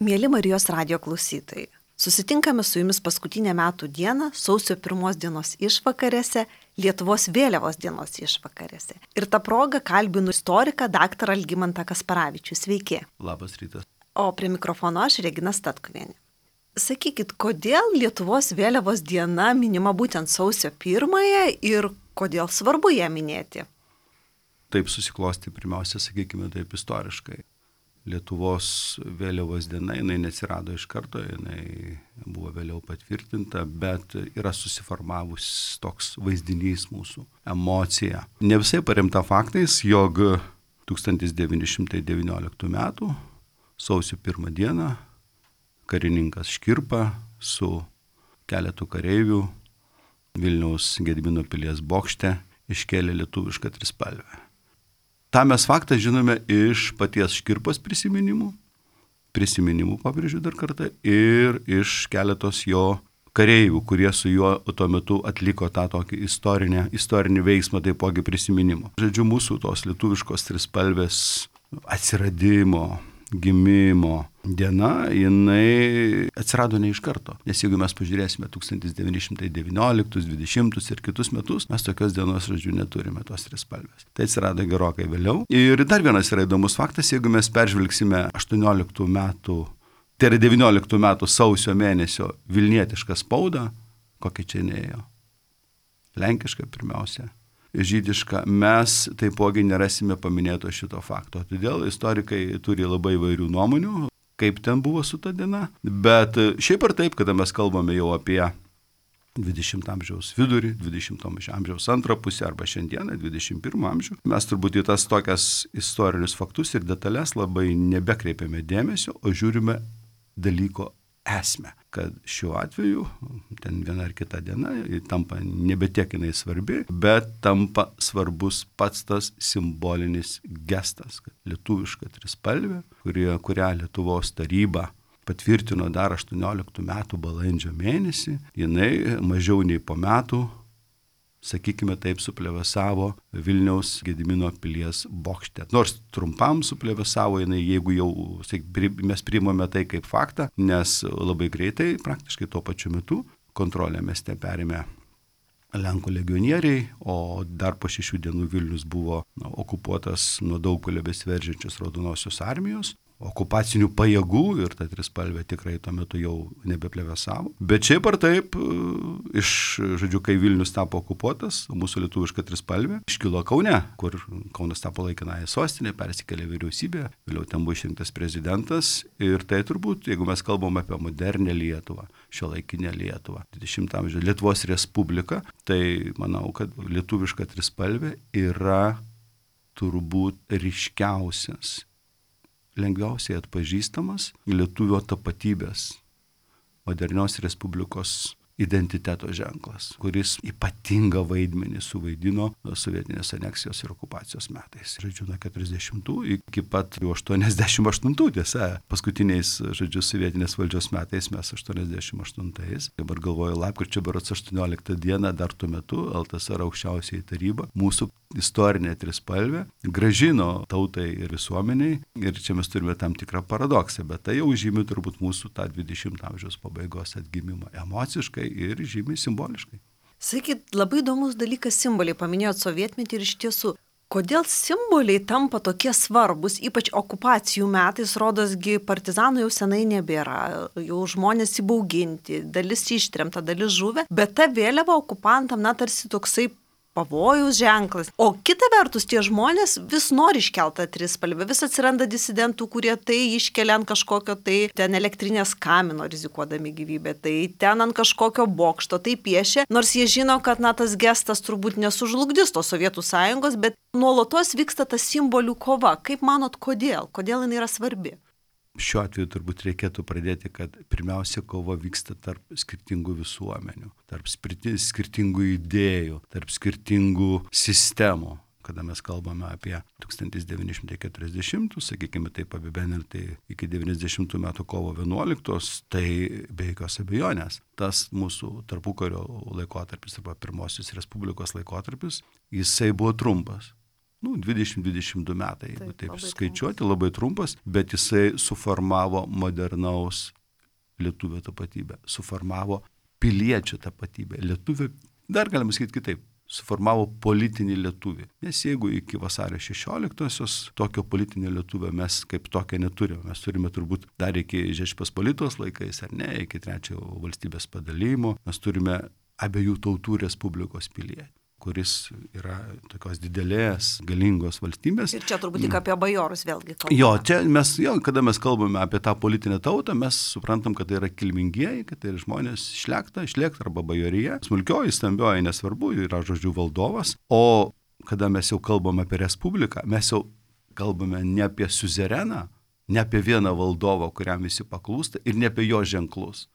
Mieli Marijos radijo klausytojai, susitinkame su jumis paskutinę metų dieną, sausio 1 dienos išvakarėse, Lietuvos vėliavos dienos išvakarėse. Ir tą progą kalbinu istoriką dr. Algimantą Kasparavičių. Sveiki. Labas rytas. O prie mikrofono aš Regina Statkuvienė. Sakykit, kodėl Lietuvos vėliavos diena minima būtent sausio 1 ir kodėl svarbu ją minėti? Taip susiklosti pirmiausia, sakykime taip istoriškai. Lietuvos vėliavos diena, jinai neatsirado iš karto, jinai buvo vėliau patvirtinta, bet yra susiformavus toks vaizdinys mūsų, emocija. Ne visai paremta faktais, jog 1919 metų sausio 1 dieną karininkas Škirpa su keletu kareivių Vilniaus Gedimino pilies bokšte iškėlė lietuvišką trispalvę. Ta mes faktą žinome iš paties Škirpos prisiminimų pabrėžiu dar kartą, ir iš keletos jo kareivių, kurie su juo tuo metu atliko tą tokį istorinį veiksmą, taipogi prisiminimo. Žodžiu, mūsų tos lietuviškos trispalvės atsiradimo, gimimo diena, jinai atsirado ne iš karto. Nes jeigu mes pažiūrėsime 1919, 20 ir kitus metus, mes tokios dienos, žodžiu, neturime tos trispalvės. Tai atsirado gerokai vėliau. Ir dar vienas yra įdomus faktas, jeigu mes peržvelgsime 18 metų, tai yra 19 metų sausio mėnesio vilnietišką spaudą, kokia čia neėjo. Lenkiška pirmiausia. Žydiška, mes taipogi nerasime paminėto šito fakto. Todėl istorikai turi labai įvairių nuomonių, kaip ten buvo su ta diena. Bet šiaip ar taip, kada mes kalbame jau apie 20 amžiaus vidurį, 20 amžiaus antrą pusę arba šiandieną 21 amžių, mes turbūt į tas tokias istorinius faktus ir detalės labai nebekreipiame dėmesio, o žiūrime dalyko esmę, kad šiuo atveju ten viena ar kita diena tampa nebetiek jinai svarbi, bet tampa svarbus pats tas simbolinis gestas, kad lietuviška trispalvė, kurią Lietuvos taryba patvirtino dar 18 metų balandžio mėnesį, jinai mažiau nei po metų, sakykime taip, suplevėsavo Vilniaus Gedimino pilies bokšte. Nors trumpam suplevėsavo jinai, jeigu jau mes priimame tai kaip faktą, nes labai greitai, praktiškai tuo pačiu metu, kontrolę mieste perėmė Lenkų legionieriai, o dar po 6 dienų Vilnius buvo okupuotas nuo Daugpilio besiveržiančios Raudonosios armijos, okupacinių pajėgų, ir ta trispalvė tikrai tuo metu jau nebeplevėsavo. Bet šiaip ar taip, žodžiu, kai Vilnius tapo okupuotas, mūsų lietuviška trispalvė iškilo Kaune, kur Kaunas tapo laikinąja sostinė, persikėlė vyriausybė, vėliau ten buvo išrinktas prezidentas. Ir tai turbūt, jeigu mes kalbam apie modernę Lietuvą, šiuolaikinę Lietuvą, 20 amžiaus Lietuvos Respubliką, tai manau, kad lietuviška trispalvė yra turbūt ryškiausias, lengviausiai atpažįstamas lietuvio tapatybės, modernios Respublikos identiteto ženklas, kuris ypatingą vaidmenį suvaidino sovietinės aneksijos ir okupacijos metais. Žodžiu, nuo 40 iki pat 88, tiesa, paskutiniais, žodžiu, sovietinės valdžios metais mes 88. Dabar galvoju, lapkričio berods 18 dieną, dar tuo metu LTSR aukščiausioji taryba mūsų istorinė trispalvė grąžino tautai ir visuomeniai, ir čia mes turime tam tikrą paradoksą, bet tai jau žymi turbūt mūsų tą 20 amžiaus pabaigos atgimimą emociškai ir žymiai simboliškai. Sakyt, labai įdomus dalykas simboliai, paminėjot sovietmetį ir iš tiesų, kodėl simboliai tampa tokie svarbus, ypač okupacijų metais, rodosgi partizanų jau senai nebėra, jau žmonės įbauginti, dalis ištremta, dalis žuvę, bet ta vėliava okupantam, tarsi toksai pavojaus ženklas. O kita vertus, tie žmonės vis nori iškeltą trispalvę, vis atsiranda disidentų, kurie tai iškelia ant kažkokio tai ten elektrinės kamino rizikuodami gyvybę, tai ten ant kažkokio bokšto, tai piešia, nors jie žino, kad tas gestas turbūt nesužlugdys tos Sovietų sąjungos, bet nuolatos vyksta ta simbolių kova. Kaip manot, kodėl? Kodėl jinai yra svarbi? Šiuo atveju turbūt reikėtų pradėti, kad pirmiausia kova vyksta tarp skirtingų visuomenių, tarp skirtingų idėjų, tarp skirtingų sistemų. Kada mes kalbame apie 1940, sakykime taip apibendrintai iki 90 metų kovo 11, tai be jokios abejonės tas mūsų tarpukario laikotarpis arba pirmosios Respublikos laikotarpis, jisai buvo trumpas. 20-22 metai, jeigu taip labai skaičiuoti, labai trumpas, bet jisai suformavo modernaus lietuvio tapatybę, suformavo piliečių tapatybę. Lietuvio, dar galima sakyti kitaip, suformavo politinį lietuvį. Nes jeigu iki vasario 16-osios tokio politinio lietuvio mes kaip tokio neturime, mes turime turbūt dar iki Žečpospolitos laikais, ar ne, iki trečiojo valstybės padalijimo, mes turime abiejų tautų respublikos pilietį, kuris yra tokios didelės, galingos valstybės. Ir čia turbūt tik apie bajorus vėlgi kalbame. Kada mes kalbame apie tą politinę tautą, mes suprantam, kad tai yra kilmingieji, kad tai yra žmonės šlekta arba bajorija. Smulkioji, stambioji, nesvarbu, yra žodžiu valdovas. O kada mes jau kalbame apie respubliką, mes jau kalbame ne apie siuzereną, ne apie vieną valdovą, kuriam visi paklūsta, ir ne apie jo ženklus.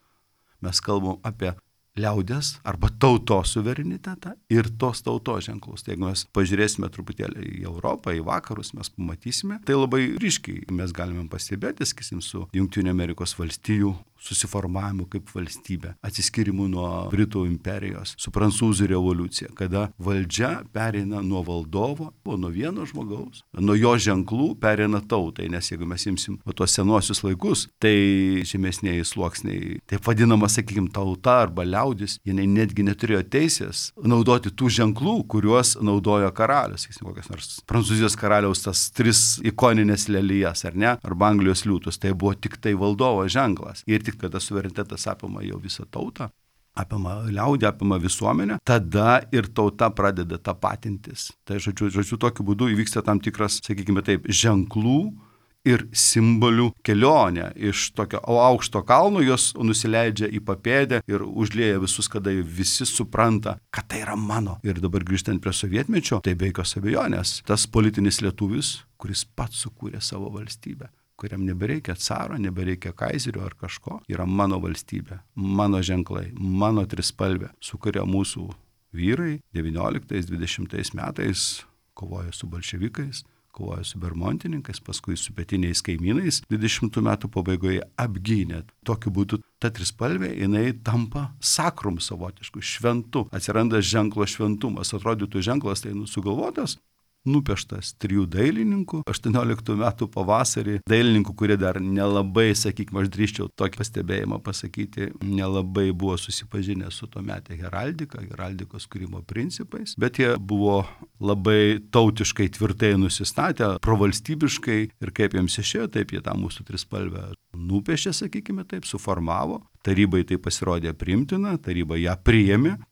Mes kalbam apie liaudės arba tautos suverenitetą ir tos tautos ženklus. Tai jeigu mes pažiūrėsime truputėlį į Europą, į vakarus, mes pamatysime, tai labai ryškiai mes galime pastebėti, sakysim, su Jungtinių Amerikos valstijų susiformavimu kaip valstybė, atsiskirimu nuo Britų imperijos, su Prancūzų revoliucija, kada valdžia pereina nuo valdovo, nuo vieno žmogaus, nuo jo ženklų pereina tautai, nes jeigu mes imsim tuos senuosius laikus, tai žemesniai sluoksniai, taip vadinama, sakykime, tauta arba liaudis, jinai netgi neturėjo teisės naudoti tų ženklų, kuriuos naudojo karalius, sakysim, kokias nors Prancūzijos karaliaus tas 3 ikoninės lelijas, ar ne, arba Anglijos liūtus, tai buvo tik tai valdovo ženklas. Ir tik kada suverenitetas apima jau visą tautą, apima liaudį, apima visuomenę, tada ir tauta pradeda tapatintis. Tai žodžiu, tokiu būdu įvyksta tam tikras, sakykime taip, ženklų ir simbolių kelionė iš tokio aukšto kalno, jos nusileidžia į papėdę ir užlieja visus, kada visi supranta, kad tai yra mano. Ir dabar grįžtant prie sovietmečio, tai be jokios abejonės, tas politinis lietuvis, kuris pats sukūrė savo valstybę, kuriam nebereikia caro, nebereikia kaizerio ar kažko, yra mano valstybė, mano ženklai, mano trispalvė, su kuria mūsų vyrai 19-20 metais kovoja su bolševikais, kovoja su bermontininkais, paskui su pietiniais kaimynais, 20 metų pabaigoje apgynė. Tokiu būdu ta trispalvė, jinai tampa sakrum savotišku, šventu, atsiranda ženklo šventumas, atrodytų ženklas tai sugalvotas, nupieštas 3 dailininkų, 18 metų pavasarį, dailininkų, kurie dar nelabai, sakykime, aš drįsčiau tokį pastebėjimą pasakyti, nelabai buvo susipažinę su tuometė heraldikos kūrimo principais, bet jie buvo labai tautiškai tvirtai nusistatę, provalstybiškai ir kaip jiems išėjo, taip jie tą mūsų trispalvę nupiešė, sakykime taip, suformavo, tarybai tai pasirodė priimtina, taryba ją priėmė.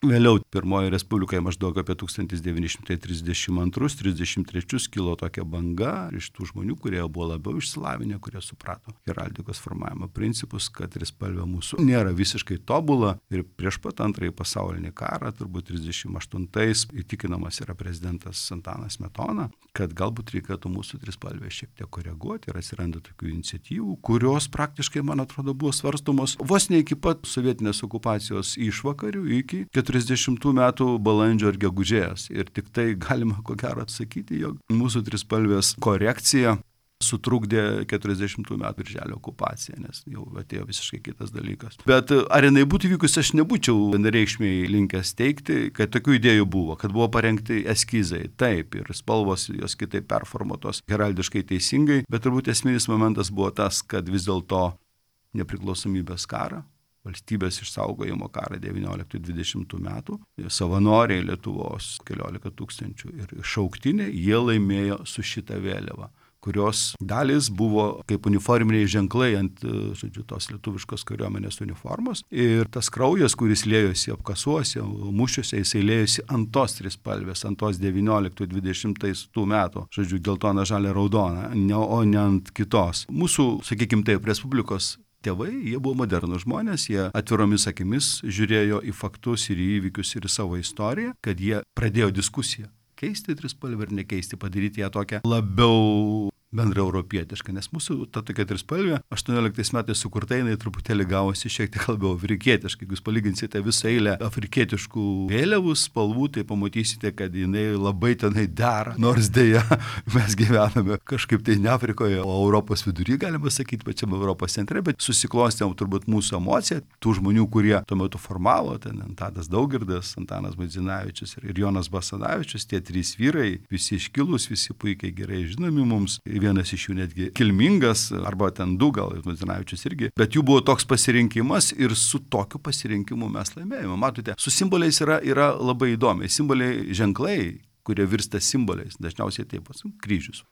Vėliau pirmoji respublikai maždaug apie 1932-33 kilo tokia banga iš tų žmonių, kurie buvo labiau išsilavinę, kurie suprato heraldikos formavimo principus, kad trispalvė mūsų nėra visiškai tobula ir prieš pat antrąjį pasaulinį karą, turbūt 38-ais, įtikinamas yra prezidentas Antanas Smetona, kad galbūt reikėtų mūsų trispalvę šiek tiek koreguoti ir atsiranda tokių iniciatyvų, kurios praktiškai, man atrodo, buvo svarstomos vos ne iki pat sovietinės okupacijos išvakarių, iki 40 metų balandžio ir gegužės. Ir tik tai galima ko gero atsakyti, jog mūsų trispalvės korekcija sutrukdė 40 metų birželio okupaciją, nes jau atėjo visiškai kitas dalykas. Bet ar jinai būtų vykusi, aš nebūčiau vienareikšmiai linkęs teigti, kad tokių idėjų buvo, kad buvo parengti eskizai, taip, ir spalvos jos kitaip performuotos heraldiškai teisingai, bet turbūt esminis momentas buvo tas, kad vis dėlto nepriklausomybės karą, valstybės išsaugojimo karą 19-20 metų, savanoriai Lietuvos 14 000 ir šauktiniai, jie laimėjo su šita vėliava, kurios dalis buvo kaip uniforminiai ženklai ant, tos lietuviškos kariuomenės uniformos. Ir tas kraujas, kuris liejosi apkasuose, mūšiuose, jisai liejosi ant tos trispalvės, ant tos 19-20 metų, geltona, žalia, raudona, o ne ant kitos. Mūsų, sakykime taip, Respublikos tėvai, jie buvo modernų žmonės, jie atviromis akimis žiūrėjo į faktus ir į įvykius ir į savo istoriją, kad jie pradėjo diskusiją. Keisti trispalvę ar nekeisti, padaryti ją tokią labiau bendra europietiška, nes mūsų ta tokia trispalvė 18 metais sukurta, jinai truputėlį gavosi šiek tiek labiau afrikietiška. Jeigu jūs palyginsite visą eilę afrikietiškų vėliavų spalvų, tai pamatysite, kad jinai labai tenai dera. Nors dėja, mes gyvename kažkaip tai ne Afrikoje, o Europos vidury, galima sakyti, pačiame Europos centre, bet susiklostėm turbūt mūsų emociją, tų žmonių, kurie tuo metu formavo, ten Tadas Daugirdas, Antanas Baidzinavičius ir Jonas Basanavičius, tie trys vyrai, visi iškilūs, visi puikiai gerai žinomi mums. Vienas iš jų netgi kilmingas, arba ten du gal, Baidzinavičius irgi, bet jų buvo toks pasirinkimas ir su tokiu pasirinkimu mes laimėjome. Matote, su simboliais yra labai įdomiai. Simboliai, ženklai, kurie virsta simboliais, dažniausiai taip, kryžius.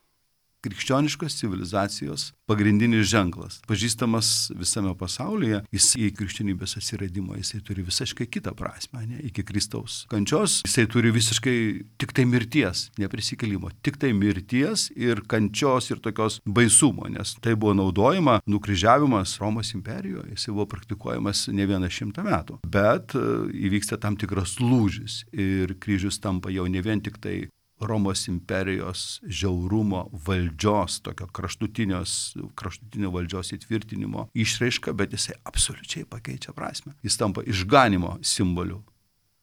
Krikščioniškos civilizacijos pagrindinis ženklas, pažįstamas visame pasaulyje, jis į krikščionybės atsiradimą, jisai turi visiškai kitą prasme, ne? Iki Kristaus kančios, jisai turi visiškai tik tai mirties, neprisikėlimo, tik tai mirties ir kančios ir tokios baisumo, nes tai buvo naudojama, nukryžiavimas Romos imperijoje, jisai buvo praktikuojamas ne 100 metų, bet įvyksta tam tikras lūžis ir kryžius tampa jau ne vien tik tai Romos imperijos žiaurumo valdžios, tokio kraštutinio valdžios įtvirtinimo išraiška, bet jisai absoliučiai pakeičia prasme. Jis tampa išganimo simboliu.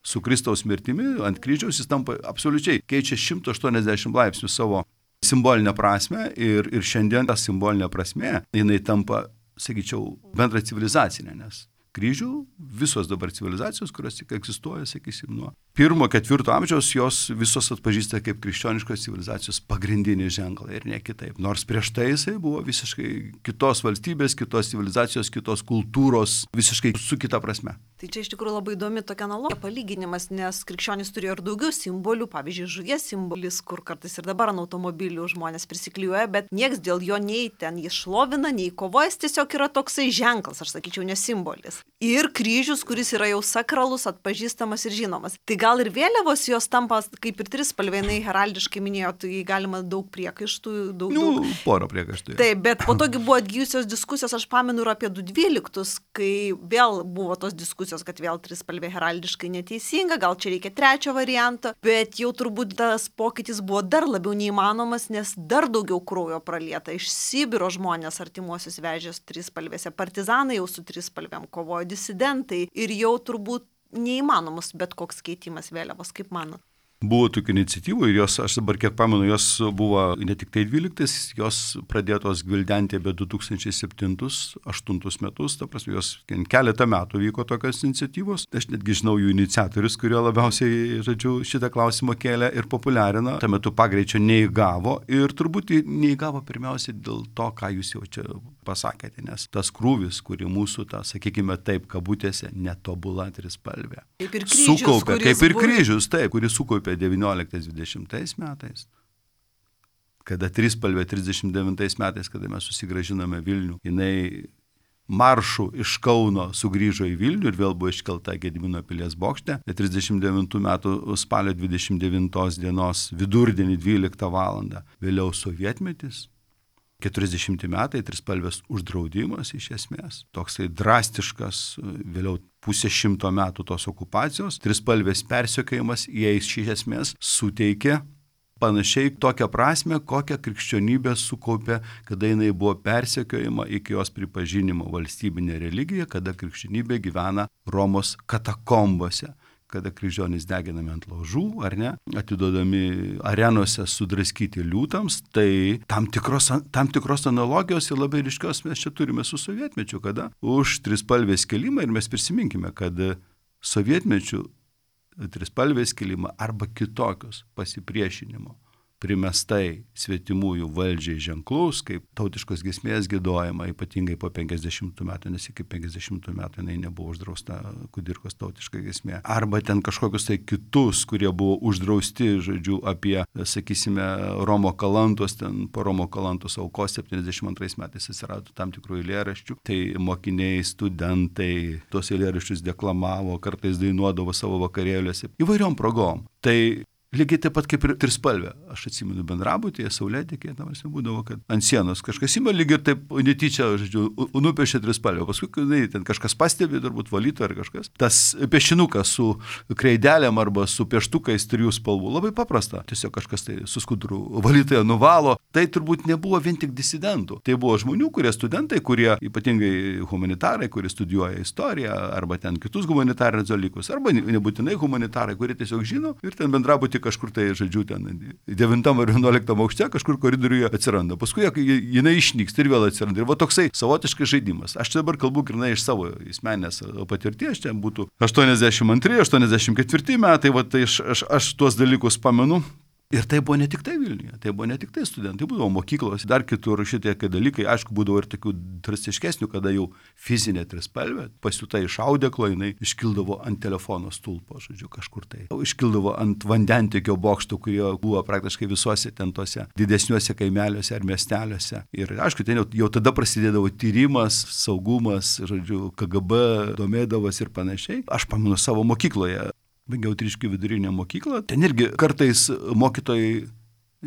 Su Kristaus mirtimi ant kryžiaus jis tampa absoliučiai, keičia 180 laipsnių savo simbolinę prasme ir šiandien ta simbolinė prasme, jinai tampa, sakyčiau, bendra civilizacinė, nes kryžių visos dabar civilizacijos, kurios tik egzistuoja, sakysim, nuo 1-4 amžiaus, jos visos atpažįsta kaip krikščioniškos civilizacijos pagrindinį ženklą ir ne kitaip. Nors prieš tai jisai buvo visiškai kitos valstybės, kitos civilizacijos, kitos kultūros, visiškai su kita prasme. Tai čia iš tikrųjų labai įdomi tokia analogija, palyginimas, nes krikščionys turėjo ir daugiau simbolių, pavyzdžiui, žuvies simbolis, kur kartais ir dabar ant automobilių žmonės prisiklijuoja, bet nieks dėl jo nei ten jį šlovina, nei kovoja, jis tiesiog yra toksai ženklas, aš sakyčiau, ne simbolis. Ir kryžius, kuris yra jau sakralus, atpažįstamas ir žinomas. Tai gal ir vėliavos jos tampa, kaip ir trispalvė, heraldiškai minėjo, tai galima daug priekaištų, daug. Porą priekaištų. Taip, bet po togi buvo atgyjusios diskusijos, aš pamenu ir apie 212, kai vėl buvo tos diskusijos, kad vėl trispalvė heraldiškai neteisinga, gal čia reikia trečio varianto, bet jau turbūt tas pokytis buvo dar labiau neįmanomas, nes dar daugiau kraujo pralieta. Iš Sibiro žmonės artimuosius vežės trispalvėse, partizanai jau su trispalvėm kovojo, disidentai ir jau turbūt neįmanomas bet koks keitimas vėliavos, kaip manot? Buvo tokių iniciatyvų ir jos, aš dabar kiek pamenu, jos buvo ne tik tai 12, jos pradėtos gvildenti apie 2007-2008 metus, ta prasme, jos keletą metų vyko tokios iniciatyvos. Aš netgi žinau jų iniciatorius, kurie labiausiai, šitą klausimą kėlė ir populiarino. Tuo metu pagreičio neįgavo ir turbūt neįgavo pirmiausiai dėl to, ką jūs jau čia pasakėte, nes tas krūvis, kurį mūsų, sakykime taip, kabutėse, netobula trispalvė. Kaip ir kryžius, sukaupė, kaip ir kryžius, taip, kuris sukaupė 19-20 metais, kada trispalvė 39 metais, kada mes susigrąžinome Vilnių, jinai maršu iš Kauno sugrįžo į Vilnių ir vėl buvo iškelta Gedimino pilies bokšte. 39 metų spalio 29 dienos vidurdienį 12 valandą. Vėliau sovietmetis. 40 metai trispalvės uždraudimas iš esmės. Toksai drastiškas, vėliau 100 metų tos okupacijos, trispalvės persekiojimas, jie iš esmės suteikė panašiai tokią prasme, kokią krikščionybė sukaupė, kada jinai buvo persekiojama iki jos pripažinimo valstybinė religija, kada krikščionybė gyvena Romos katakombose, kada kryžionys deginami ant laužų, ar ne, atiduodami arenose sudraskyti liūtams, tai tam tikros analogijos ir labai ryškios mes čia turime su sovietmečiu, kada už trispalvės kelimą, ir mes prisiminkime, kad sovietmečiu trispalvės kelimą arba kitokios pasipriešinimo primestai svetimųjų valdžiai ženklus, kaip tautiškos giesmės giedojama, ypatingai po 50 metų, nes iki 50 metų jinai nebuvo uždrausta kudirkos tautiška giesmė. Arba ten kažkokius tai kitus, kurie buvo uždrausti, apie, sakysime, Romo Kalantos, ten po Romo Kalantos aukos 72 metais atsirado tam tikrų eilėraščių. Tai mokiniai, studentai tos eilėraščius deklamavo, kartais dainuodavo savo vakarėliuose įvairiom progom. Tai Lygiai taip pat kaip ir trispalvė. Aš atsimenu bendrabutyje, saulėtekyje, būdavo, kad ant sienos kažkas ima lygiai ir taip netyčia, žodžiu, nupiešė trispalvę. Paskui, kai ten kažkas pastebi, turbūt valyto ar kažkas. Tas piešinukas su kreidelėm arba su pieštukais 3 spalvų. Labai paprasta. Tiesiog kažkas tai su skuduru valytoje nuvalo. Tai turbūt nebuvo vien tik disidentų. Tai buvo žmonių, kurie studentai, kurie ypatingai humanitarai, kurie studijuoja istoriją arba ten kitus humanitarinius dalykus, arba nebūtinai humanitarai, kurie tiesiog žino ir ten bendrabuty kažkur tai, žodžiu, ten 9 ar 11 aukšte kažkur koridoriuje atsiranda. Paskui jinai išnyksta ir vėl atsiranda. Ir va toksai savotiškas žaidimas. Aš dabar kalbu grynai iš savo asmeninės patirties, čia būtų 82-84 metai, va tai aš tuos dalykus pamenu. Ir tai buvo ne tik tai Vilniuje, tai buvo ne tik tai studentai, būdavo mokyklos, dar kitur šitie dalykai, aišku, būdavo ir tokių drastiškesnių, kada jau fizinė trispalvė, pasiūta iš audeklo, jinai iškildavo ant telefono stulpo, žodžiu, kažkur tai. Iškildavo ant vandentikio bokštų, kurie buvo praktiškai visuose ten tose didesniuose kaimeliuose ar miesteliuose. Ir aišku, ten jau tada prasidėdavo tyrimas, saugumas, žodžiu, KGB domėdavos ir panašiai. Aš pamenu savo mokykloje. Baigiau Triškių vidurinę mokyklą. Ten irgi kartais mokytojai,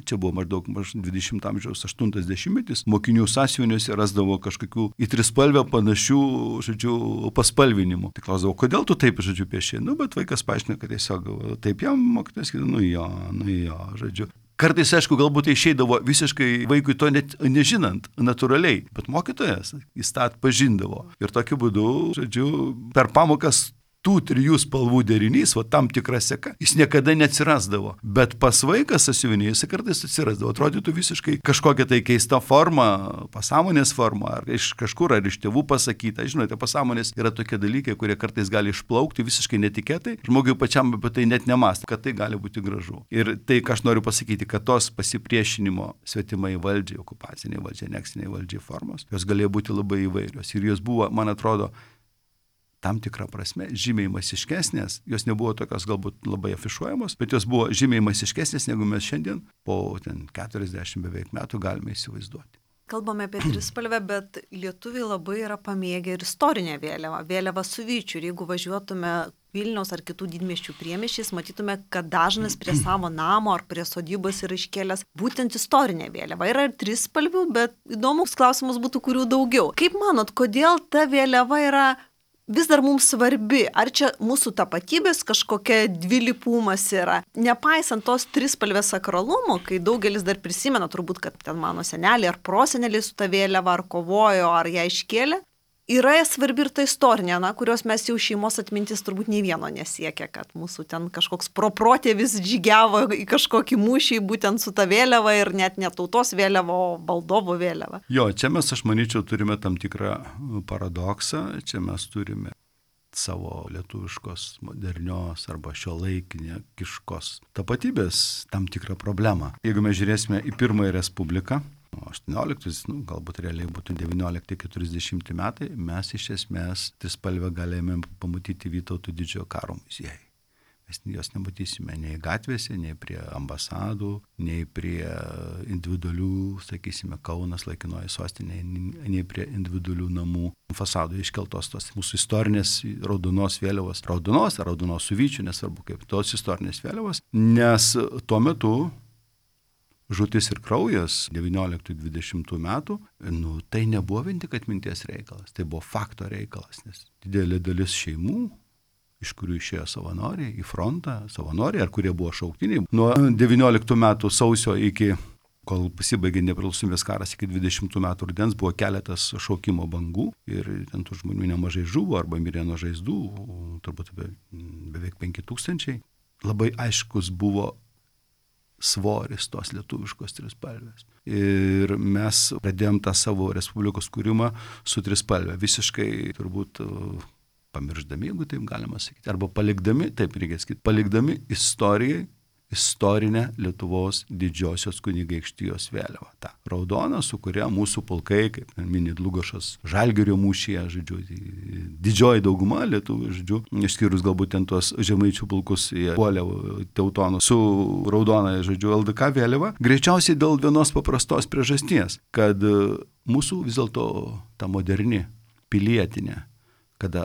čia buvo maždaug 20 amžiaus 80-metis, mokinių sąsiuviniuose rasdavo kažkokių į trispalvę panašių, žodžiu, paspalvinimų. Tai klausdavo, kodėl tu taip, žodžiu, pieši? Bet vaikas paaiškino, kad tiesiog taip jam mokytojas sakė, nu jo, žodžiu. Kartais, aišku, galbūt tai išeidavo visiškai vaikui to net nežinant, natūraliai, bet mokytojas jis tą atpažindavo. Ir tokiu būdu, žodžiu, per pamokas tų 3 spalvų derinys, tam tikra seka, jis niekada neatsirasdavo. Bet pas vaiką sąsiuvinėje jis kartais atsirasdavo. Atrodytų visiškai kažkokia tai keista forma, pasąmonės forma, ar iš kažkur, ar iš tėvų pasakyta. Žinote, pasąmonės yra tokie dalykai, kurie kartais gali išplaukti visiškai netikėtai. Žmogui pačiam apie tai net nemąsto, kad tai gali būti gražu. Ir tai, ką aš noriu pasakyti, kad tos pasipriešinimo svetimai valdžiai, okupaciniai valdžiai, aneksiniai valdžiai formos, jos galėjo būti labai įvairios. Ir jos buvo, man atrodo, tam tikrą prasme, žymiai masiškesnės, jos nebuvo tokios galbūt labai afišuojamos, bet jos buvo žymiai masiškesnės, negu mes šiandien po 40 beveik metų galime įsivaizduoti. Kalbame apie trispalvę, bet lietuviai labai yra pamėgę ir istorinę vėliavą, vėliavą su vyčiu. Ir jeigu važiuotume Vilniaus ar kitų didmiesčių priemiesčiais, matytume, kad dažnas prie savo namo ar prie sodybos yra iškėlęs būtent istorinę vėliavą. Yra ir trispalvių, bet įdomus klausimas būtų, kurių daugiau. Kaip manot, kodėl ta vėliava yra vis dar mums svarbi? Ar čia mūsų tapatybės kažkokia dvilypumas yra? Nepaisant tos trispalvės sakralumo, kai daugelis dar prisimena turbūt, kad ten mano seneliai ar proseneliai su ta vėliava ar kovojo, ar ją iškėlė, yra svarbi ir ta istorinė, kurios mes jau šeimos atmintis turbūt nei vieno nesiekia, kad mūsų ten kažkoks proprotėvis žygiavo į kažkokį mūšį būtent su ta vėliava ir net ne tautos vėliava, o valdovo vėliava. Jo, čia mes, aš manyčiau, turime tam tikrą paradoksą, čia mes turime savo lietuviškos, modernios arba šiuolaikiškos tapatybės tam tikrą problemą. Jeigu mes žiūrėsime į Pirmąją Respubliką, 18, galbūt realiai būtų 19-40 metai, mes iš esmės trispalvę galėjome pamatyti Vytauto didžiojo karo muziejuje. Mes jos nematysime nei gatvėse, nei prie ambasadų, nei prie individualių, sakysime, Kaunas laikinoji sostinė, nei prie individualių namų fasadų iškeltos tos mūsų istorinės raudonos vėliavos, raudonos su vyčiu, nesvarbu kaip, tos istorinės vėliavos, nes tuo metu žūtis ir kraujas 19-20 metų, tai nebuvo vien tik atminties reikalas, tai buvo fakto reikalas, nes didelė dalis šeimų, iš kurių išėjo savanoriai į frontą, savanoriai, ar kurie buvo šauktiniai, nuo 19 metų sausio iki, kol pasibaigė nepriklausomybės karas, iki 20 metų rudens buvo keletas šaukimo bangų ir ten tų žmonių nemažai žuvo arba mirė nuo žaizdų, turbūt beveik 5000. Labai aiškus buvo svoris tos lietuviškos trispalvės. Ir mes pradėjom tą savo respublikos kūrimą su trispalve. Visiškai turbūt pamirždami, jeigu taip galima sakyti, arba palikdami, taip reikia sakyti, palikdami istorinę Lietuvos didžiosios kunigaikštijos vėliavą. Ta raudona, su kuria mūsų pulkai, kaip mini Dlugošas Žalgirio mūšyje, žodžiu, didžioji dauguma lietuvių, žodžiu, išskyrus galbūt ten tuos žemaičių pulkus, jie puolė teutonų su raudona, žodžiu, LDK vėliava, greičiausiai dėl vienos paprastos priežasties, kad mūsų vis dėlto ta moderni pilietinė, kada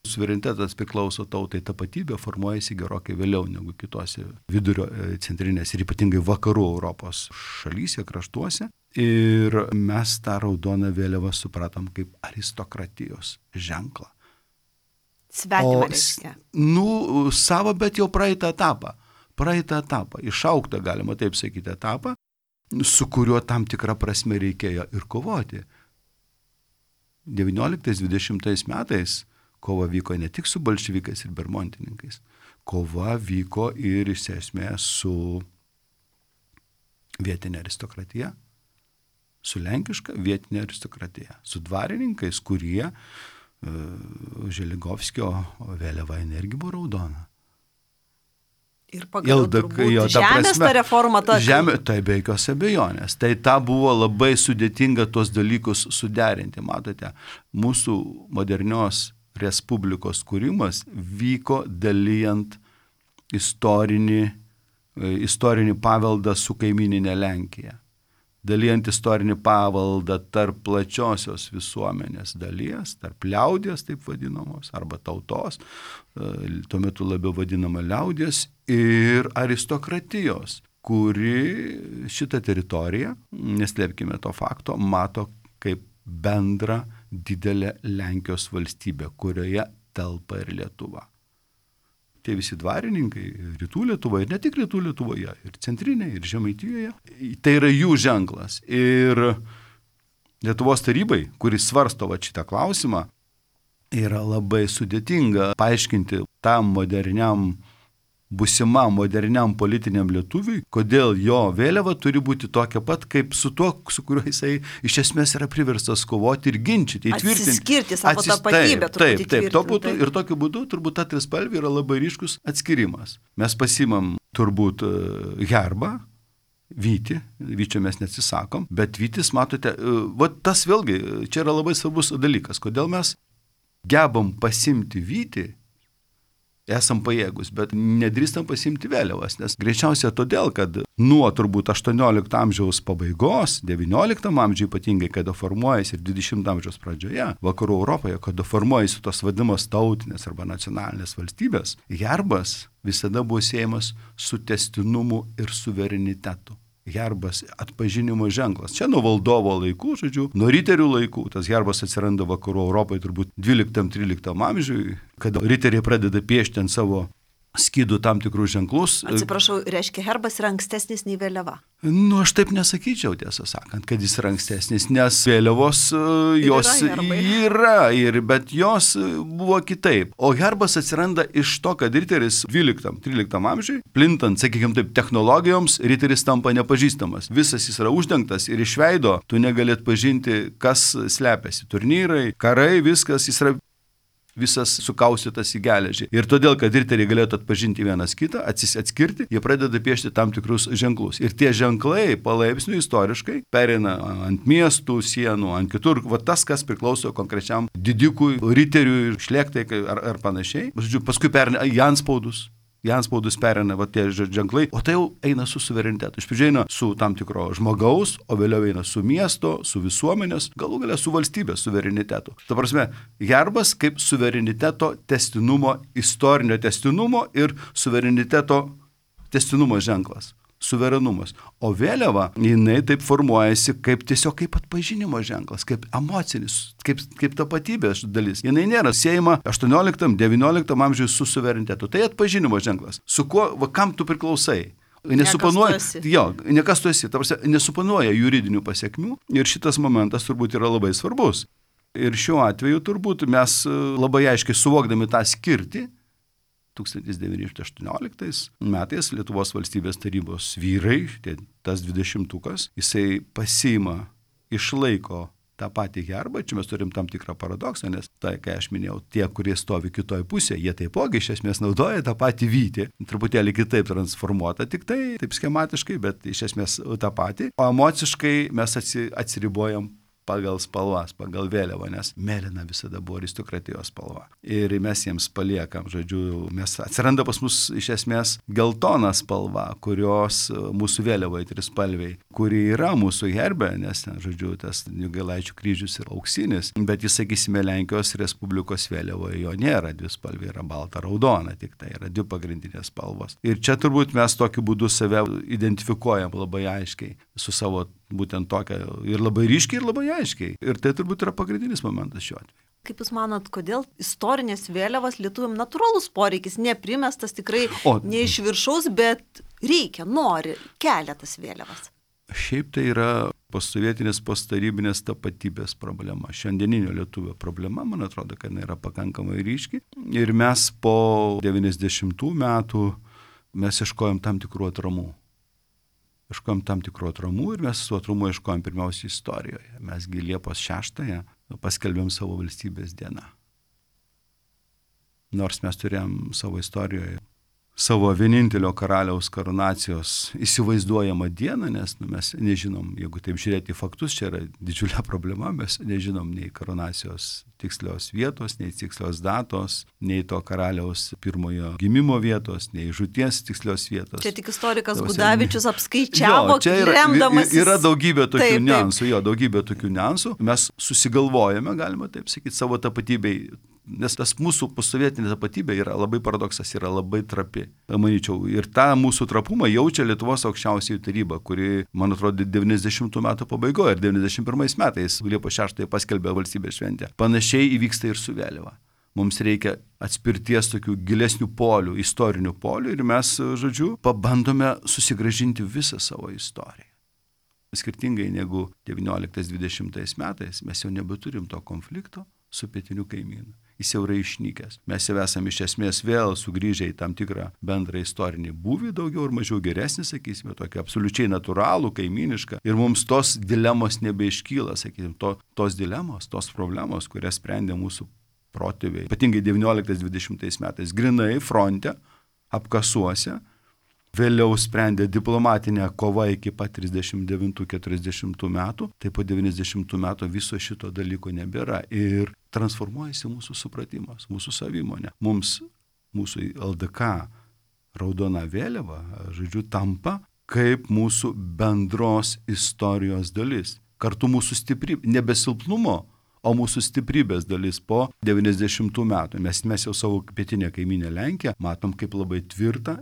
Suverenitetas priklauso tautai, tapatybė formuojasi gerokai vėliau negu kitose vidurio, centrinės ir ypatingai vakarų Europos šalyse, kraštuose. Ir mes tą raudoną vėliavą supratom kaip aristokratijos ženklą. Svetimą reiškia. Savo, bet jau praeitą etapą. Išauktą, galima taip sakyti, etapą, su kuriuo tam tikrą prasme reikėjo ir kovoti. 19-20 metais kova vyko ne tik su bolševikais ir bermontininkais. Kova vyko ir iš esmės su vietinė aristokratija, su lenkiška vietinė aristokratija, su dvarininkais, kurie Želigovskio vėliava irgi buvo raudona. Ir pagaliau turbūt žemės ta reforma ta. Žemė, tai be jokios abejonės. Tai ta buvo labai sudėtinga tos dalykus suderinti. Matote, mūsų modernios respublikos kūrimas vyko dalijant istorinį paveldą su kaimininė Lenkija. Dalijant istorinį paveldą tarp plačiosios visuomenės dalies, tarp liaudies, taip vadinamos, arba tautos, tuo metu labiau vadinama liaudies, ir aristokratijos, kuri šitą teritoriją, neslėpkime to fakto, mato kaip bendrą didelę Lenkijos valstybę, kurioje telpa ir Lietuva. Tie visi dvarininkai rytų Lietuvoje, ir ne tik rytų Lietuvoje, ir centrinėje, ir Žemaitijoje, tai yra jų ženklas. Ir Lietuvos tarybai, kuris svarsto šitą klausimą, yra labai sudėtinga paaiškinti tam būsimam moderniam politiniam lietuviui, kodėl jo vėliava turi būti tokia pat, kaip su tuo, su kuriuo jisai iš esmės yra priverstas kovoti ir ginčyti, įtvirtinti. Atsiskirti savo tapatybę. Taip. Ir tokiu būdu turbūt ta trispalvė yra labai ryškus atskirimas. Mes pasimam turbūt herbą, vytį, vyčio mes neatsisakom, bet vytis, matote, tas vėlgi, čia yra labai svarbus dalykas, kodėl mes gebam pasimti vytį, esam pajėgus, bet nedrįstam pasimti vėliavas, nes greičiausiai todėl, kad nuo turbūt 18 amžiaus pabaigos, 19 amžiuje ypatingai, kada formuojasi ir 20 amžiaus pradžioje, vakarų Europoje, kada formuojasi tos vadinamos tautinės arba nacionalinės valstybės, herbas visada buvo siejamas su tęstinumu ir suverenitetu. Herbas atpažinimo ženklas. Čia nuo valdovo laikų, nuo riterių laikų. Tas herbas atsiranda vakarų Europoje turbūt 12-13 amžiui, kada riteriai pradeda piešti ant savo skydų tam tikrus ženklus. Atsiprašau, reiškia, herbas yra ankstesnis nei vėliava? Aš taip nesakyčiau, tiesą sakant, kad jis yra ankstesnis, nes vėliavos jos yra, bet jos buvo kitaip. O herbas atsiranda iš to, kad riteris 12-13 amžiui, plintant, sakykime taip, technologijoms, riteris tampa nepažįstamas. Visas jis yra uždengtas ir iš veido tu negali atpažinti, kas slepiasi. Turnyrai, karai, viskas, jis yra visas sukaustytas į geležį. Ir todėl, kad riteriai galėtų atpažinti vienas kitą, atskirti, jie pradeda piešti tam tikrus ženklus. Ir tie ženklai palaipsniui istoriškai pereina ant miestų, sienų, ant kitur. Tas, kas priklauso konkrečiam didikui, riteriui, šlėktai ar panašiai. Paskui pereina į anspaudus. Į anspaudus pereina tie ženklai, o tai jau eina su suverenitetu. Iš pradžių eina su tam tikro žmogaus, o vėliau eina su miesto, su visuomenės, galų galia su valstybės suverenitetu. Ta prasme, herbas kaip suvereniteto tęstinumo, istorinio tęstinumo ir suvereniteto tęstinumo ženklas. Suverenumas. O vėliava, jinai taip formuojasi tiesiog kaip atpažinimo ženklas, kaip emocinis, kaip tapatybės dalis. Jinai nėra siejama 18-19 amžiuje su suverenitetu. Tai atpažinimo ženklas. Su kuo, kam tu priklausai? Nekas tu esi. Nesuponuoja juridinių pasiekmių ir šitas momentas turbūt yra labai svarbus. Ir šiuo atveju turbūt mes labai aiškiai suvokdami tą skirtį, 1918 metais Lietuvos valstybės tarybos vyrai, tas 20-tukas, jisai pasiima, išlaiko tą patį herbą. Čia mes turim tam tikrą paradoksą, nes tai, kai aš minėjau, tie, kurie stovi kitoje pusėje, jie taipogi iš esmės naudoja tą patį vytį, truputėlį kitaip transformuota, tik tai taip schematiškai, bet iš esmės tą patį. O emociškai mes atsiribojam pagal spalvas, pagal vėliavą, nes mėlyna visada buvo aristokratijos spalva. Ir mes jiems paliekam, žodžiu, atsiranda pas mus iš esmės geltona spalva, kurios mūsų vėliavoje trispalviai, kuri yra mūsų herbe, nes, žodžiu, tas Jogailaičių kryžius yra auksinis, bet jis, sakysime, Lenkijos Respublikos vėliavoje jo nėra dvispalvė, yra balta, raudona, tik tai yra dvi pagrindinės spalvos. Ir čia turbūt mes tokiu būdu save identifikuojam labai aiškiai su savo būtent tokia ir labai ryškiai, ir labai aiškiai. Ir tai turbūt yra pagrindinis momentas šiuo atveju. Kaip Jūs manot, kodėl istorinės vėliavas lietuviam natūralus poreikis, neprimestas tikrai ne iš viršaus, bet reikia, nori, kelia tas vėliavas? Šiaip tai yra postsovietinės, posttarybinės tapatybės problema. Šiandieninio lietuvio problema, man atrodo, kad jinai yra pakankamai ryški. Ir mes po 90 metų mes ieškojom tam tikrų atramų. Ieškojom tam tikrų atramų ir mes su atramu ieškojom pirmiausiai istorijoje. Mesgi Liepos 6-ąją paskelbėm savo valstybės dieną. Nors mes turėjom savo istorijoje savo vienintelio karaliaus karūnacijos įsivaizduojamą dieną, nes mes nežinom, jeigu taip žiūrėti į faktus, čia yra didžiulė problema, mes nežinom nei karūnacijos tikslios vietos, nei tikslios datos, nei to karaliaus pirmojo gimimo vietos, nei žūties tikslios vietos. Čia tik istorikas Gudavičius apskaičiavo, remdamas. Yra daugybė tokių niuansų, daugybė tokių niuansų. Mes susigalvojame, galima taip sakyti, savo tapatybei. Nes tas mūsų postsovietinė tapatybė yra labai paradoksas, yra labai trapi, manyčiau. Ir tą mūsų trapumą jaučia Lietuvos aukščiausioji taryba, kuri, man atrodo, 90 metų pabaigoje ir 91 metais Liepos 6 paskelbė valstybės šventę. Panašiai įvyksta ir su vėliava. Mums reikia atspirties tokių gilesnių polių, istorinių polių ir mes, žodžiu, pabandome susigrąžinti visą savo istoriją. Skirtingai negu 19-20 metais mes jau nebeturim to konflikto su pietiniu kaimynu. Jis jau yra išnykęs. Mes jau esame iš esmės vėl sugrįžę į tam tikrą bendrą istorinį būvį, daugiau ir mažiau geresnį, sakysime, tokį absoliučiai natūralų, kaimynišką. Ir mums tos dilemos nebeiškyla, sakysime, tos dilemos, tos problemos, kurias sprendė mūsų protėviai. Ypatingai 19-20 metais, grinai fronte, apkasuose, vėliau sprendė diplomatinę kovą iki pat 39-40 metų, tai po 90 metų viso šito dalyko nebėra ir transformuojasi mūsų supratimas, mūsų savimonė. Mums, mūsų LDK raudona vėliava, žodžiu, tampa kaip mūsų bendros istorijos dalis. Kartu mūsų stiprybė, nebe silpnumo, o mūsų stiprybės dalis po 90 metų. Mes jau savo pietinę kaimynę Lenkiją matom kaip labai tvirtą,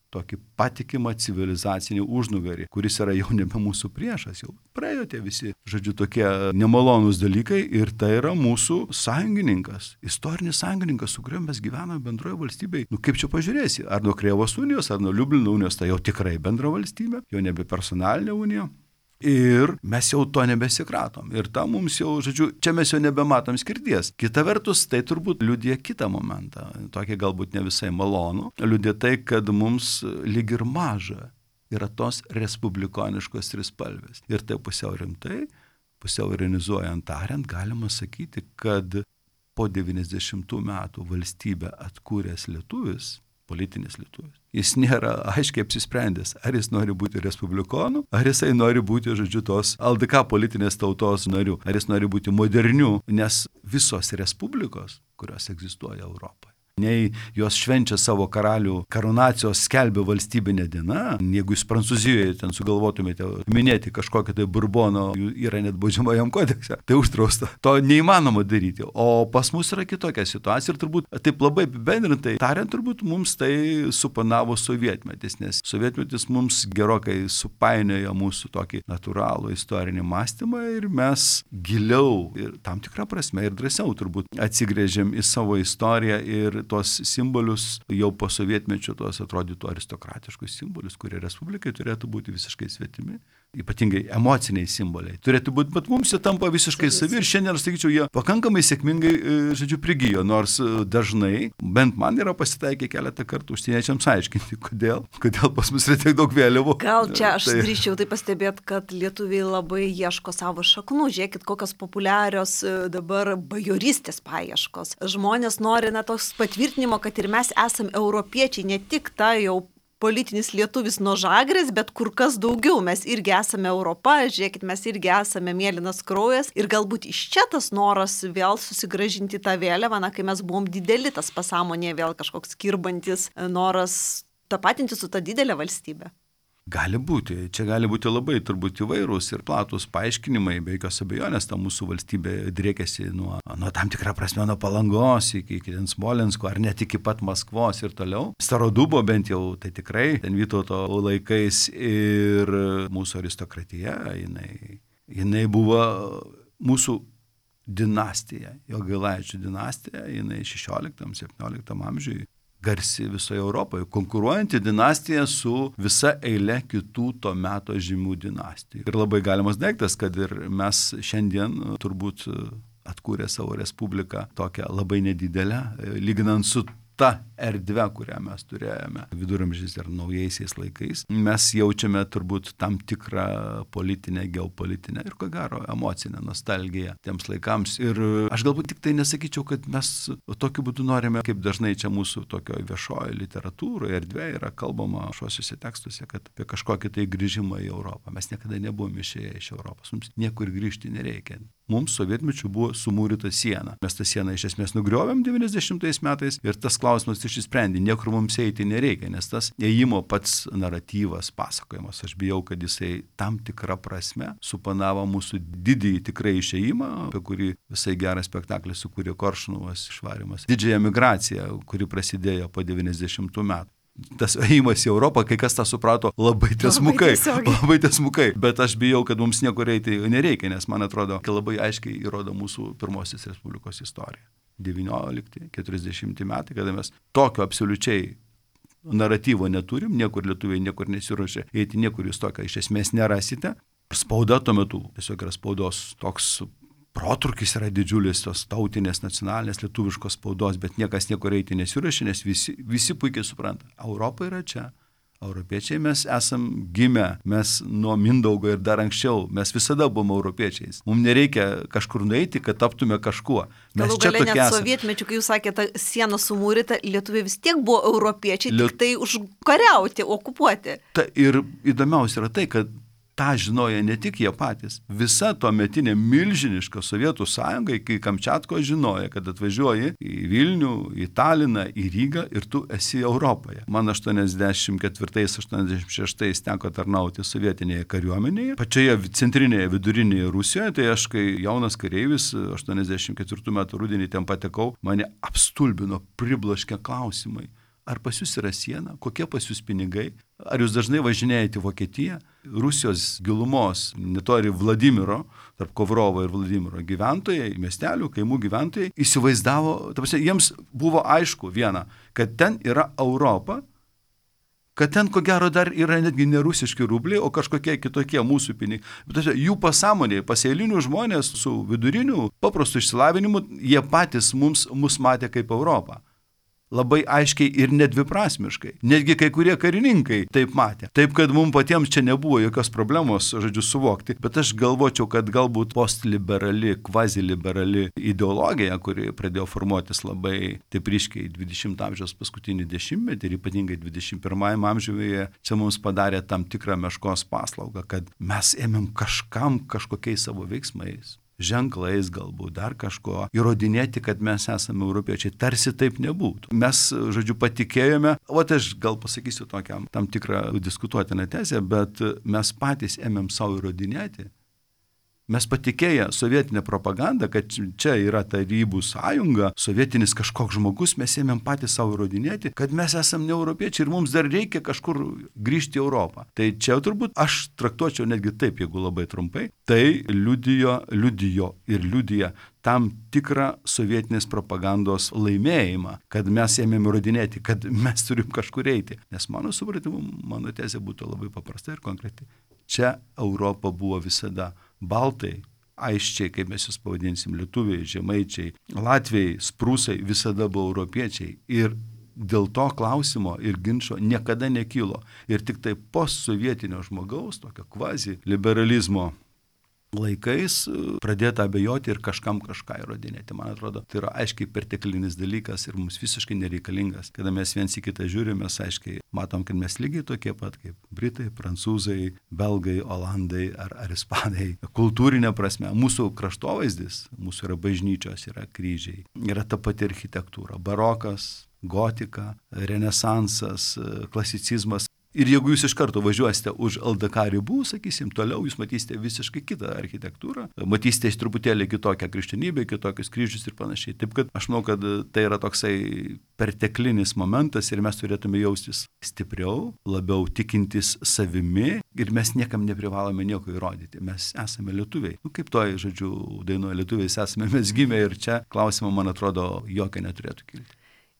tokį patikimą civilizacinį užnugarį, kuris yra jau nebe mūsų priešas, jau praėjo tie visi, žodžiu, tokie nemalonūs dalykai ir tai yra mūsų sąjungininkas, istorinis sąjungininkas, su kuriuo mes gyvename bendroje valstybėje. Kaip čia pažiūrėsi, ar nuo Krėvos unijos, ar nuo Liublino unijos, tai jau tikrai bendra valstybė, jau nebe personalinė unija. Ir mes jau to nebesikratom. Ir ta mums jau, žodžiu, čia mes jau nebematom skirties. Kita vertus, tai turbūt liudija kitą momentą, tokį galbūt ne visai malonų, liudija tai, kad mums lyg ir maža yra tos respublikoniškos trispalvės. Ir tai pusiau rimtai, pusiau ironizuojant tariant, galima sakyti, kad po 90 metų valstybę atkūręs lietuvis, politinis lietuvis, jis nėra aiškiai apsisprendęs, ar jis nori būti respublikonų, ar jisai nori būti, žodžiu, tos LDK politinės tautos narių, ar jis nori būti modernių, nes visos respublikos, kurios egzistuoja Europoje, nei jos švenčia savo karalių karūnacijos skelbia valstybinė diena, jeigu jūs Prancūzijoje ten sugalvotumėte minėti kažkokią tai Burbono, yra net baudžiamajam kodekse, tai uždrausta. To neįmanoma daryti. O pas mus yra kitokia situacija ir turbūt taip labai apibendrintai tariant, turbūt mums tai supanavo sovietmetis, nes sovietmetis mums gerokai supainiojo mūsų tokį natūralų istorinį mąstymą ir mes giliau ir tam tikrą prasme ir drąsiau turbūt atsigrėžėm į savo istoriją ir tos simbolius jau po sovietmečio, tos atrodytų aristokratiškus simbolius, kurie respublikai turėtų būti visiškai svetimi, ypatingai emociniai simboliai. Turėtų būti, bet mums jie tampa visiškai savi ir šiandien, aš sakyčiau, jie pakankamai sėkmingai, žodžiu, prigijo, nors dažnai, bent man yra pasitaikę keletą kartų užsieniečiams aiškinti, kodėl pas mus yra tiek daug vėliavų. Gal čia aš drįsčiau tai pastebėti, kad lietuviai labai ieško savo šaknų, žiūrėkit, kokios populiarios dabar bajorystės paieškos. Žmonės nori tos patvirtinimo, kad ir mes esame europiečiai, ne tik ta jau politinis lietuvis nuo Žagrės, bet kur kas daugiau. Mes irgi esame Europa, žiūrėkit, mes irgi esame mėlynas kraujas. Ir galbūt iš čia tas noras vėl susigrąžinti tą vėliavą, kai mes buvom dideli, tas pasąmonėje vėl kažkoks kirbantis noras tapatinti su ta didelė valstybė. Gali būti. Čia gali būti labai turbūt įvairūs ir platus paaiškinimai, be jokios abejonės, ta mūsų valstybė driekiasi nuo tam tikrą prasme nuo Palangos iki Smolensko, ar net iki pat Maskvos ir toliau. Starodubo bent jau, tai tikrai, ten Vytauto laikais ir mūsų aristokratija, jinai buvo mūsų dinastija, Jogailaičių dinastija, jinai 16-17 amžiuje. Garsi visoje Europoje, konkuruojanti dinastija su visa eile kitų to meto žymių dinastijų. Ir labai galimas daiktas, kad ir mes šiandien turbūt atkūrė savo respubliką tokią labai nedidelę, lyginant su ta erdvė, kurią mes turėjome viduramžiais ir naujaisiais laikais. Mes jaučiame turbūt tam tikrą politinę, geopolitinę ir ko gero emocinę nostalgiją tiems laikams. Ir aš galbūt tik tai nesakyčiau, kad mes tokiu būdu norime, kaip dažnai čia mūsų tokio viešojo literatūroje erdvėje yra kalbama šiuose tekstuose, kad apie kažkokį tai grįžimą į Europą. Mes niekada nebuvome išėję iš Europos. Mums niekur grįžti nereikia. Mums sovietmečiu buvo sumūryta siena. Mes tą sieną iš esmės nugriovėm 90 metais ir tas klausimas išsisprendė. Niekur mums eiti nereikia, nes tas ėjimo pats naratyvas, pasakojimas, aš bijau, kad jisai tam tikrą prasme supanavo mūsų didįjį tikrai išėjimą, apie kurį visai gerą spektaklį sukūrė Koršunovas išvarimas. Didžiąją migraciją, kuri prasidėjo po 90 metų. Tas ėjimas į Europą, kai kas tą suprato labai tiesmukai, bet aš bijau, kad mums niekur eiti nereikia, nes man atrodo, kad labai aiškiai įrodo mūsų pirmosios Respublikos istorija. 19-40 metai, kada mes tokio absoliučiai naratyvo neturim, niekur lietuviai niekur nesiruošia eiti, niekur jūs tokio iš esmės nerasite. Spauda tuo metu, tiesiog yra spaudos toks protrūkis yra didžiulis, tos tautinės, nacionalinės, lietuviškos spaudos, bet niekas niekur eiti nesiruošia, nes visi puikiai supranta, Europa yra čia. Europiečiai mes esam gimę, mes nuo Mindaugo ir dar anksčiau, mes visada buvome europiečiais. Mums nereikia kažkur nueiti, kad taptume kažkuo. Mes galų gale net sovietmečiu, kai jūs sakėte, siena sumūryta, lietuviai vis tiek buvo europiečiai, tik tai užkariauti, okupuoti. Ir įdomiausia yra tai, kad tą žinojo ne tik jie patys. Visa tuometinė milžiniška Sovietų sąjunga iki Kamčiatko žinojo, kad atvažiuoji į Vilnių, į Taliną, į Rygą ir tu esi Europoje. Man 84-86 teko tarnauti sovietinėje kariuomenėje, pačioje centrinėje vidurinėje Rusijoje, tai aš kai jaunas kareivis 84 metų rudenį ten patekau, mane apstulbino, pribloškė klausimai. Ar pas jūs yra siena? Kokie pas jūs pinigai? Ar jūs dažnai važinėjate į Vokietiją? Rusijos gilumos, netoli Vladimiro, tarp Kovrovo ir Vladimiro gyventojai, miestelių, kaimų gyventojai, įsivaizdavo, jiems buvo aišku viena, kad ten yra Europa, kad ten ko gero dar yra netgi ne rusiški rubliai, o kažkokie kitokie mūsų pinigai. Bet jų pasąmonėje, paseilinių žmonės su viduriniu paprastu išsilavinimu, jie patys mus matė kaip Europą. Labai aiškiai ir nedviprasmiškai. Netgi kai kurie karininkai taip matė. Taip, kad mums patiems čia nebuvo jokios problemos, suvokti. Bet aš galvočiau, kad galbūt postliberali, kvaziliberali ideologija, kuri pradėjo formuotis labai taip ryškiai 20 amžiaus paskutinį dešimtmetį ir ypatingai 21 amžiuje, čia mums padarė tam tikrą meškos paslaugą, kad mes ėmėm kažkokiais savo veiksmais, ženklais galbūt, dar kažko, įrodinėti, kad mes esame europiečiai, tarsi taip nebūtų. Mes, patikėjome, aš gal pasakysiu tokiam tam tikrą diskutuotiną tezę, bet mes patys ėmėm savo įrodinėti. Mes patikėję sovietinę propagandą, kad čia yra Tarybų sąjunga, sovietinis kažkoks žmogus, mes ėmėm patys savo įrodinėti, kad mes esame ne europiečiai ir mums dar reikia kažkur grįžti į Europą. Tai čia turbūt aš traktuočiau netgi taip, jeigu labai trumpai, tai liudijo ir liudija tam tikrą sovietinės propagandos laimėjimą, kad mes ėmėm įrodinėti, kad mes turim kažkur eiti. Nes mano supratimu, mano tezė būtų labai paprasta ir konkreti. Čia Europa buvo visada. Baltai, aiščiai, kaip mes jūs pavadinsim, lietuviai, žemaičiai, latviai, sprūsai visada buvo europiečiai ir dėl to klausimo ir ginčo niekada nekilo. Ir tik tai postsovietinio žmogaus, tokio kvazi liberalizmo laikais pradėta abejoti ir kažkam kažką įrodinėti. Man atrodo, tai yra aiškiai perteklinis dalykas ir mums visiškai nereikalingas. Kada mes viens į kitą žiūrime, mes aiškiai matom, kad mes lygiai tokie pat kaip britai, prancūzai, belgai, olandai ar ispanai. Kultūrinė prasme, mūsų kraštovaizdis, mūsų yra bažnyčios, yra kryžiai, yra ta pati architektūra, barokas, gotika, renesansas, klasicizmas. Ir jeigu jūs iš karto važiuosite už LDK ribų, sakysim, toliau jūs matysite visiškai kitą architektūrą, matysite truputėlį kitokią krikščionybę, kitokius kryžius ir panašiai. Taip kad aš manau, kad tai yra toksai perteklinis momentas ir mes turėtume jaustis stipriau, labiau tikintis savimi ir mes niekam neprivalome nieko įrodyti. Mes esame lietuviai. Kaip toj, žodžiu, dainuoja lietuviais esame mes gimę ir čia klausimo, man atrodo, jokio neturėtų kilti.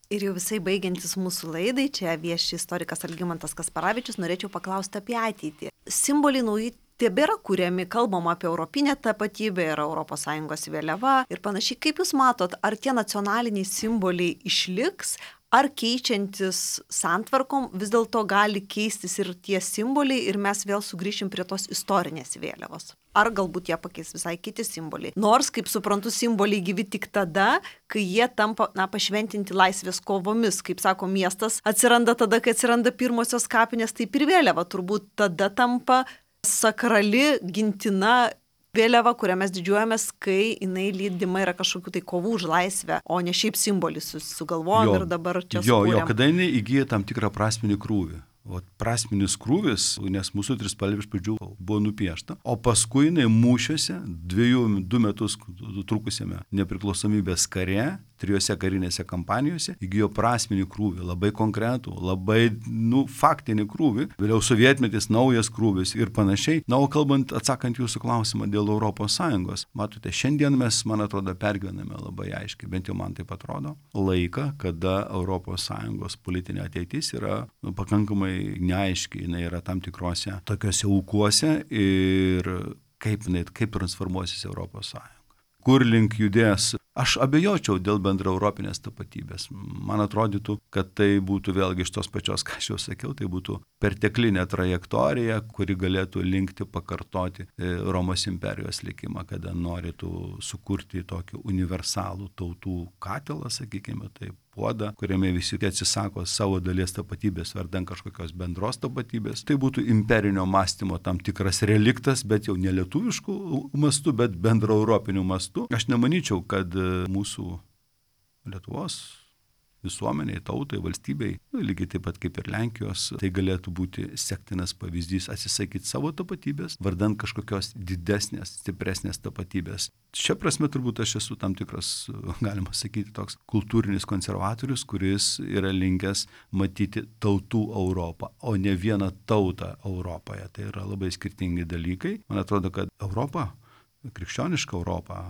Ir jau visai baigiantis mūsų laidai, čia vieši istorikas Algimantas Kasparavičius, norėčiau paklausti apie ateitį. Simboliai nauji tebėra kuriami, kalbama apie europinę tapatybę, yra ES vėliava ir panašiai. Kaip Jūs matot, ar tie nacionaliniai simboliai išliks, ar keičiantis santvarkom vis dėlto gali keistis ir tie simboliai ir mes vėl sugrįšim prie tos istorinės vėliavos? Ar galbūt jie pakeis visai kiti simboliai. Nors, kaip suprantu, simboliai gyvi tik tada, kai jie tampa, pašventinti laisvės kovomis. Kaip sako, miestas atsiranda tada, kai atsiranda pirmosios kapinės, taip ir vėliava. Turbūt tada tampa sakrali, gintina vėliava, kurią mes didžiuojamės, kai jinai lydima yra kažkokių tai kovų už laisvę, o ne šiaip simbolis sugalvojom ir dabar čia sukūrėm. Kada jinai įgyja tam tikrą prasminį krūvį. O prasminis krūvis, nes mūsų trispalvė iš pradžių buvo nupiešta, o paskui jinai mūšiuose, 2 metus trukusiame nepriklausomybės kare, 3 karinėse kampanijose, įgijo prasminį krūvį, labai konkretų, labai, faktinį krūvį, vėliau sovietmetis, naujas krūvis ir panašiai. Na, o kalbant, atsakant jūsų klausimą dėl ES, matote, šiandien mes, man atrodo, pergyvename labai aiškiai, bent jau man taip atrodo, laiką, kada ES politinė ateitis yra pakankamai neaiškiai, jinai yra tam tikrose tokiuose ūkuose ir kaip transformuosis ES. Kur link judės? Aš abejočiau dėl bendra europinės tapatybės. Man atrodytų, kad tai būtų vėlgi iš tos pačios, ką aš jau sakiau, tai būtų perteklinė trajektorija, kuri galėtų linkti pakartoti Romos imperijos likimą, kada norėtų sukurti tokį universalų tautų katilą, sakykime, taip, puodą, kuriame visi atsisako savo dalies tapatybės vardan kažkokios bendros tapatybės. Tai būtų imperinio mąstymo tam tikras reliktas, bet jau ne lietuviškų mastų, bet bendro europinių mastų. Aš nemanyčiau, kad mūsų Lietuvos visuomeniai, tautai, valstybei, lygiai taip pat kaip ir Lenkijos, tai galėtų būti sektinas pavyzdys atsisakyti savo tapatybės, vardan kažkokios didesnės, stipresnės tapatybės. Šia prasme turbūt aš esu tam tikras, galima sakyti, toks kultūrinis konservatorius, kuris yra linkęs matyti tautų Europą, o ne vieną tautą Europoje. Tai yra labai skirtingi dalykai. Man atrodo, kad Europa, krikščioniška Europa,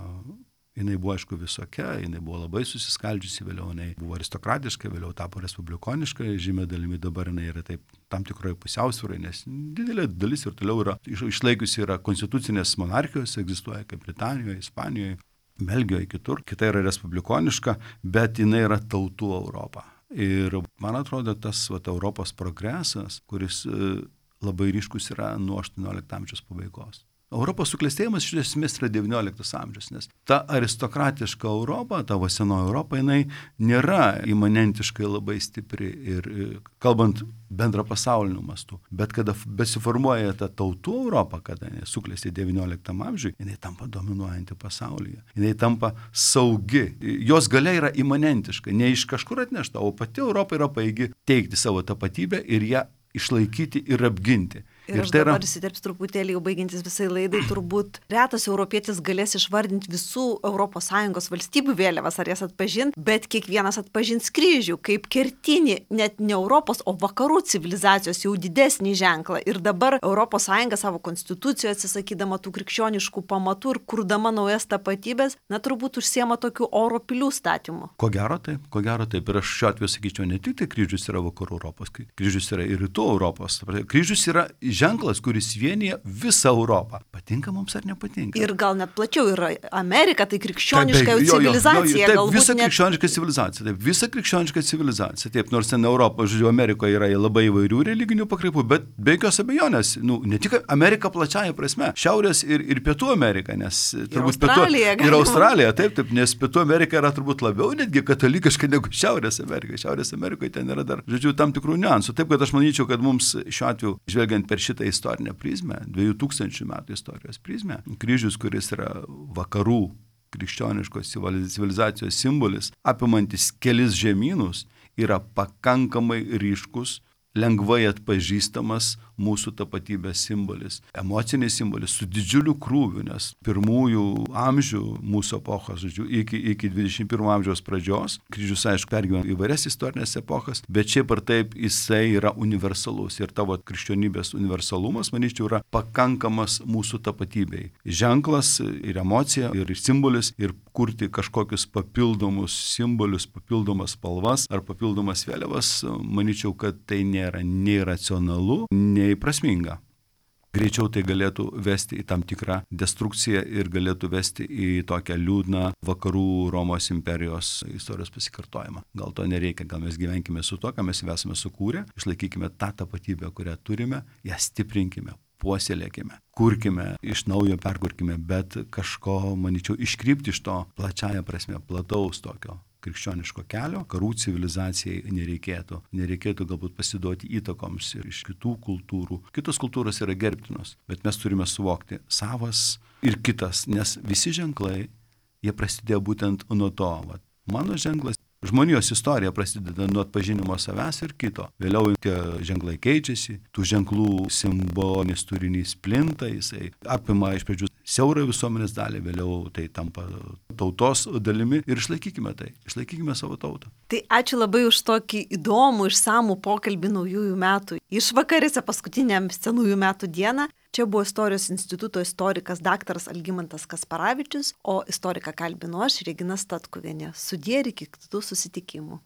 jinai buvo, aišku, visokia, jinai buvo labai susiskaldžiusi, vėliau jinai buvo aristokratiška, vėliau tapo respublikoniška, žymė dalimi dabar jinai yra taip tam tikroje pusiausvyroje, nes didelė dalis ir toliau yra išlaikiusi yra konstitucinės monarchijos, egzistuoja kaip Britanijoje, Ispanijoje, Belgijoje, kitur. Kita yra respublikoniška, bet jinai yra tautų Europa. Ir man atrodo, tas Europos progresas, kuris labai ryškus yra nuo 18 amžiaus pabaigos. Europos suklestėjimas iš esmės yra 19 amžius, nes ta aristokratiška Europa, ta senoji Europa, jinai nėra imanentiškai labai stipri ir kalbant bendra pasauliniu mastu. Bet kada besiformuoja ta tautų Europa, kada suklestė 19 amžiui, jinai tampa dominuojanti pasaulyje. Jinai tampa saugi. Jos galia yra imanentiška, ne iš kažkur atnešta, o pati Europa yra pajėgi teikti savo tapatybę ir ją išlaikyti ir apginti. Ir aš dabar įsiterpsiu truputėlį, jau baigiantis visai laidai, turbūt retas europietis galės išvardinti visų ES valstybių vėliavas, ar jas atpažinti, bet kiekvienas atpažins kryžių kaip kertinį, net ne Europos, o vakarų civilizacijos jau didesnį ženklą. Ir dabar ES savo konstitucijoje atsisakydama tų krikščioniškų pamatų ir kurdama naujas tapatybės, turbūt užsiema tokių oro pilių statymų. Ko gero taip. Ir aš šiuo atveju sakyčiau, ne tik tai kryžius yra vakarų Europos, kryžius yra ir rytų Europos. Kryžius yra ženklas, kuris vienyje visą Europą. Patinka mums ar nepatinka? Ir gal net plačiau yra Amerika, tai krikščioniška civilizacija. Taip, visa krikščioniška civilizacija. Taip, visa krikščioniška civilizacija. Taip, nors ten Europo, žodžiu, Amerikoje yra labai įvairių religinių pakraipų, bet be jokios abejonės, ne tik Amerika plačiaja prasme, Šiaurės ir Pietų Amerika, nes turbūt Australija, taip, nes Pietų Amerika yra turbūt labiau netgi katalikiška negu Šiaurės Amerika. Šiaurės Amerikoje ten yra dar, žodžiu, tam tikrų niuansų. Taip, kad aš manyčiau, kad mums šiuo atveju, žvelgiant per šitą istorinę prizmę, 2000 metų istorijos prizmę, kryžius, kuris yra vakarų krikščioniškos civilizacijos simbolis, apimantis kelis žemynus, yra pakankamai ryškus, lengvai atpažįstamas mūsų tapatybės simbolis, emocinis simbolis su didžiuliu krūviu, nes pirmųjų amžių mūsų epochos, žodžiu, iki 21 amžiaus pradžios, kryžius, aišku, pergyveno įvairias istorinės epochas, bet šiaip ar taip jisai yra universalus ir tavo krikščionybės universalumas, manyčiau, yra pakankamas mūsų tapatybei. Ženklas ir emocija ir simbolis ir kurti kažkokius papildomus simbolius, papildomas spalvas ar papildomas vėliavas, manyčiau, kad tai nėra nei racionalu, nei prasminga. Greičiau tai galėtų vesti į tam tikrą destrukciją ir galėtų vesti į tokią liūdną vakarų Romos imperijos istorijos pasikartojimą. Gal to nereikia, gal mes gyvenkime su to, ką mes esame sukūrę, išlaikykime tą tapatybę, kurią turime, ją stiprinkime, puoselėkime, kurkime, iš naujo perkurkime, bet kažko, manyčiau, iškrypti iš to plačiaja prasme, plataus tokio krikščioniško kelio, karų civilizacijai nereikėtų. Nereikėtų galbūt pasiduoti įtakoms ir iš kitų kultūrų. Kitos kultūros yra gerbtinos, bet mes turime suvokti savas ir kitas, nes visi ženklai, jie prasidėjo būtent nuo to. Mano ženklas, žmonijos istorija prasideda nuo atpažinimo savęs ir kito. Vėliau tie ženklai keičiasi, tų ženklų simbolinis turinys plinta, jisai apima iš pradžių siaurą visuomenės dalį, vėliau tai tampa tautos dalimi ir išlaikykime savo tautą. Tai ačiū labai už tokį įdomų, išsamų pokalbį naujųjų metų išvakarėse, paskutiniam senųjų metų dieną. Čia buvo Istorijos instituto istorikas daktaras Algimantas Kasparavičius, o istoriką kalbinu aš, Regina Statkuvienė. Sudie ir iki kitų susitikimų.